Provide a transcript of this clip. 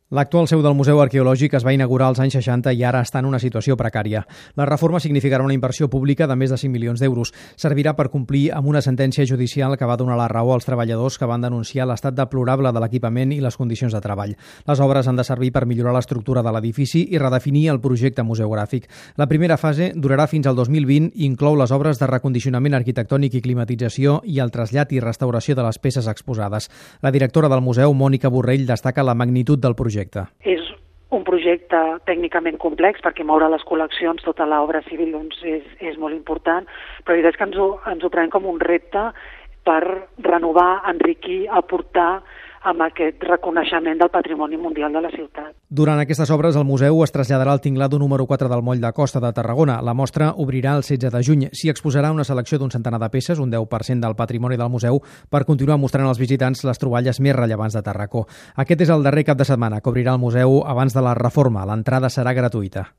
L'actual seu del Museu Arqueològic es va inaugurar als anys 60 i ara està en una situació precària. La reforma significarà una inversió pública de més de 5 milions d'euros. Servirà per complir amb una sentència judicial que va donar la raó als treballadors que van denunciar l'estat deplorable de l'equipament i les condicions de treball. Les obres han de servir per millorar l'estructura de l'edifici i redefinir el projecte museogràfic. La primera fase durarà fins al 2020 i inclou les obres de recondicionament arquitectònic i climatització i el trasllat i restauració de les peces exposades. La directora del museu, Mònica Borrell, destaca la magnitud del projecte. És un projecte tècnicament complex perquè moure les col·leccions, tota l'obra civil doncs, és molt important, però la veritat és que ens ho prenem com un repte per renovar, enriquir, aportar amb aquest reconeixement del patrimoni mundial de la ciutat. Durant aquestes obres, el museu es traslladarà al tinglado número 4 del Moll de Costa de Tarragona. La mostra obrirà el 16 de juny. S'hi exposarà una selecció d'un centenar de peces, un 10% del patrimoni del museu, per continuar mostrant als visitants les troballes més rellevants de Tarracó. Aquest és el darrer cap de setmana que obrirà el museu abans de la reforma. L'entrada serà gratuïta.